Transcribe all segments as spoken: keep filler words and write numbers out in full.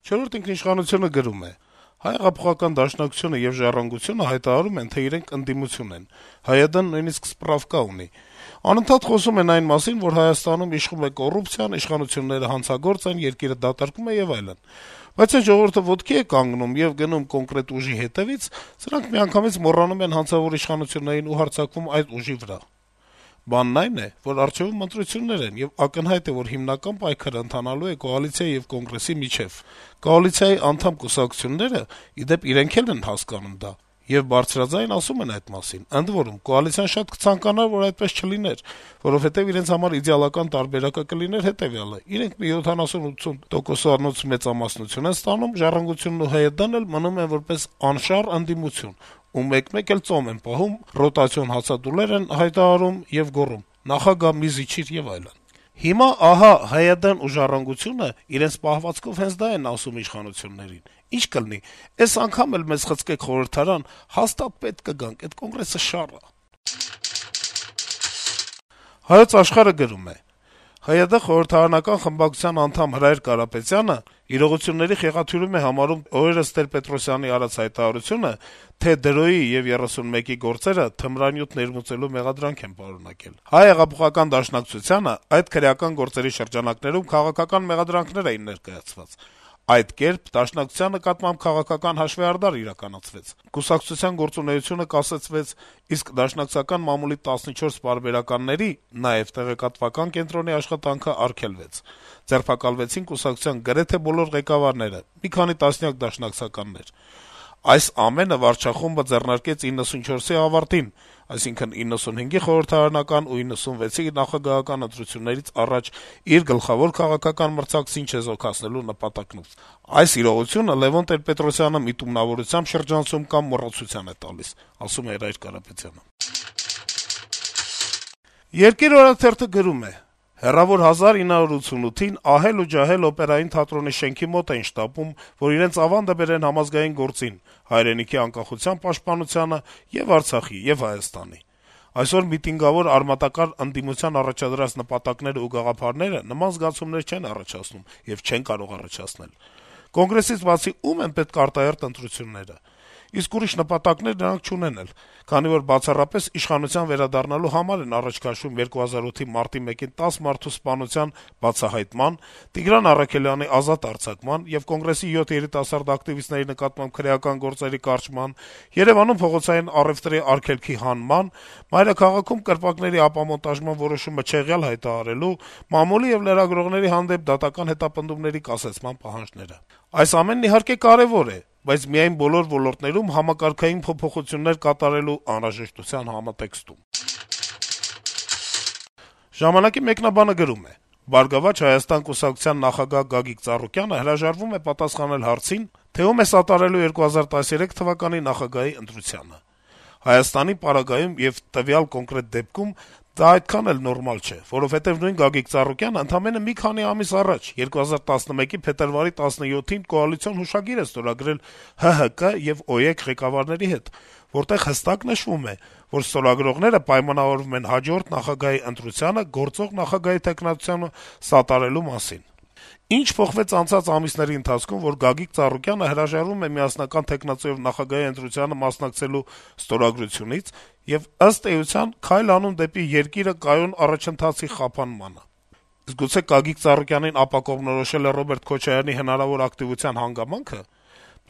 «Չորրորդ ինքնիշխանություն»-ը գրում է. - «Հայ-հեղափոխական դաշնակցությունը եւ «Ժառանգությունը» հայտարարում են, թե իրենք ընդդիմություն են, ՀՅԴ-ն նույնիսկ սպրավկա ունի: Անընդհատ խոսում են այն մասին, որ Հայաստանում իշխում է կոռուպցիան, իշխանությունները հանցագործ են, երկիրը դատարկում է եւ այլն: Բայց այն ժողովուրդը ոտքի է կանգնում եւ գնում կոնկրետ ուժի հետեւից, սրանք միանգամից մոռանում են հանցավոր իշխանություններին ու հարձակվում այդ ուժի վրա: Բանն այն է, որ առջեւում ընտրություններ են, եւ ակնհայտ է, որ հիմնական պայքարը ընթանալու է կոալիցիայի եւ Կոնգրեսի միջեւ: Կոալիցիայի անդամ կուսակցությունները, ի դեպ, իրենք էլ են հասկանում դա եւ բարձրաձայն ասում են այդ մասին: Ընդ որում, կոալիցիան շատ կցանկանար, որ այդպես չլիներ, որովհետեւ իրենց համար իդեալական տարբերակը կլիներ հետեւյալը. իրենք մի յոթանասուն-ութսուն տոկոսանոց մեծամասնություն են ստանում, «Ժառանգությունն» ու ՀՅԴ-ն էլ մնում են որպես անշառ ընդդիմություն ու մեկ-մեկ էլ ծոմ են պահում, ռոտացիոն հացադուլեր են հայտարարում եւ գոռում` «նախագահ, մի զիջիր» եւ այլն: Հիմա ահա ՀՅԴ-ն ու «Ժառանգությունը» իրենց պահվածքով հենց դա են ասում իշխանություններին: Ի՞նչ կլինի, էս անգամ էլ մեզ խցկեք խորհրդարան, հաստատ պետք կգանք, էդ Կոնգրեսը շառ ա»: «Հայոց Աշխարհ»-ը գրում է. - «ՀՅԴ խորհրդարանական խմբակցության անդամ Հրայր Կարապետյանը իրողությունների խեղաթյուրում է համարում օրերս Տեր-Պետրոսյանի արած հայտարարությունը, թե դրոյի եւ երեսունմեկի գործերը թմրանյութ ներմուծելու մեղադրանք են պարունակել: Հայ-հեղափոխական դաշնակցությանը այդ քրեական գործերի շրջանակներում քաղաքական մեղադրանքներ էին ներկայացված: Այդ կերպ Դաշնակցության նկատմամբ քաղաքական հաշվեհարդար իրականացվեց: Կուսակցության գործունեությունը կասեցվեց, իսկ դաշնակցական մամուլի տասնչորս պարբերականների, նաեւ տեղեկատվական կենտրոնի աշխատանքը արգելվեց: Ձերբակալվեցին կուսակցության գրեթե բոլոր ղեկավարները, մի քանի տասնյակ դաշնակցականներ: Այս ամենը վարչախումբը ձեռնարկեց իննսունչորսի ավարտին, այսինքն իննսունհինգի խորհրդարանական ու իննսունվեցի նախագահական ընտրություններից առաջ իր գլխավոր քաղաքական մրցակցին չեզոքացնելու նպատակով: Այս իրողությունը Լեւոն Տեր-Պետրոսյանը միտումնավորությամբ շրջանցում կամ մոռացության է տալիս»: «Երկիր» օրաթերթը գրում է. - «Հեռավոր հազար ինը հարյուր ութսունութին «Ահել ու ջահել» օպերային թատրոնի շենքի մոտ էին շտապում, որ իրենց ավանդը բերեն համազգային գործին, հայրենիքի անկախության պաշտպանությանը եւ Արցախի, եւ Հայաստանի: Այսօր միտինգավոր արմատակար ընդդիմության առաջադրած նպատակներն ու գաղափարները նման զգացումներ չեն առաջացնում եւ չեն կարող առաջացնել: Կոնգրեսից բացի ո՞ւմ են պետք արտահերթ ընտրությունները: Իսկ ուրիշ նպատակներ նրանք չունեն էլ, քանի որ բացառապես իշխանության վերադառնալու համար են առաջ քաշում երկու հազար ութի մարտի մեկին տաս մարդու սպանության բացահայտման, Տիգրան Առաքելյանի ազատ արձակման եւ Կոնգրեսի յոթ երիտասարդ ակտիվիստների նկատմամբ քրեական գործերի կարճման, Երեւանում փողոցային առեւտրի արգելքի հանման, մայրաքաղաքում կրպակների ապամոնտաժման որոշումը չեղյալ հայտարարելու, մամուլի եւ լրագրողների հանդեպ դատական հետապնդումների կասեցման պահանջները: Այս ամենն, իհարկե, կարեւոր է, բայց միայն բոլոր ոլորտներում համակարգային փոփոխություններ կատարելու անհրաժեշտության համատեքստում»: «Ժամանակ»-ի մեկնաբանը գրում է. - «Բարգավաճ Հայաստան» կուսակցության նախագահ Գագիկ Ծառուկյանը հրաժարվում է պատասխանել հարցին, թե ում է սատարելու երկու հազար տասներեք թվականի նախագահի ընտրությանը: Հայաստանի պարագայում եւ տվյալ կոնկրետ դեպքում դա այդքան էլ նորմալ չէ, որովհետեւ նույն Գագիկ Ծառուկյանը ընդամենը մի քանի ամիս առաջ` երկու հազար տասնմեկի փետրվարի տասնյոթին կոալիցիոն հուշագիր է ստորագրել ՀՀԿ եւ ՕԵԿ ղեկավարների հետ, որտեղ հստակ նշվում է, որ ստորագրողները պայմանավորվում են հաջորդ նախագահի ընտրությանը գործող նախագահի թեկնածությանը սատարելու մասին: Ինչ փոխվեց անցած ամիսների ընթացքում, որ Գագիկ Ծառուկյանը հրաժարվում է միասնական թեկնածուով նախագահի ընտրությանը մասնակցելու ստորագրությունից եւ, ըստ էության, քայլ անում դեպի երկիրը կայուն առաջընթացի խափանմանը: Իսկ գուցե Գագիկ Ծառուկյանին ապակողմնորոշել է Ռոբերտ Քոչարյանի հնարավոր ակտիվության հանգամանքը: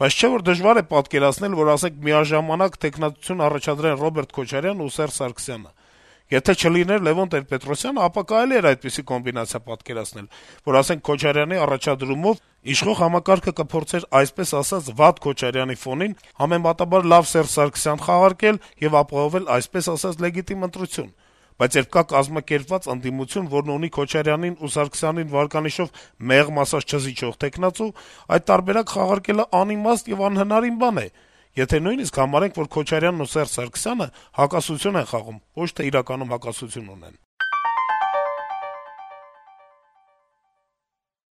Բայց չէ՞ որ դժվար է պատկերացնել, որ, ասենք, միաժամանակ թեկնածություն առաջադրեն Ռոբերտ Քոչարյանն ու Սերժ Սարգսյանը: Եթե չլիներ Լեւոն Տեր-Պետրոսյանը, ապա կարելի էր այդպիսի կոմբինացիա պատկերացնել, որ, ասենք, Քոչարյանի առաջադրումով իշխող համակարգը կփորձեր, այսպես ասած, վատ Քոչարյանի ֆոնին համեմատաբար լավ Սերժ Սարգսյան խաղարկել եւ ապահովել, այսպես ասած, լեգիտիմ ընտրություն: Բայց երբ կա կազմակերպված ընդդիմություն, որն ունի Քոչարյանին ու Սարգսյանին վարկանիշով մեղմ ասած չզիջող թեկնածու, այդ տարբերակ խաղարկելը անիմաստ եւ անհնարին բան է, եթե նույնիսկ համարենք, որ Քոչարյանն ու Սերժ Սարգսյանը հակասություն են խաղում, ոչ թե իրականում հակասություն ունեն»: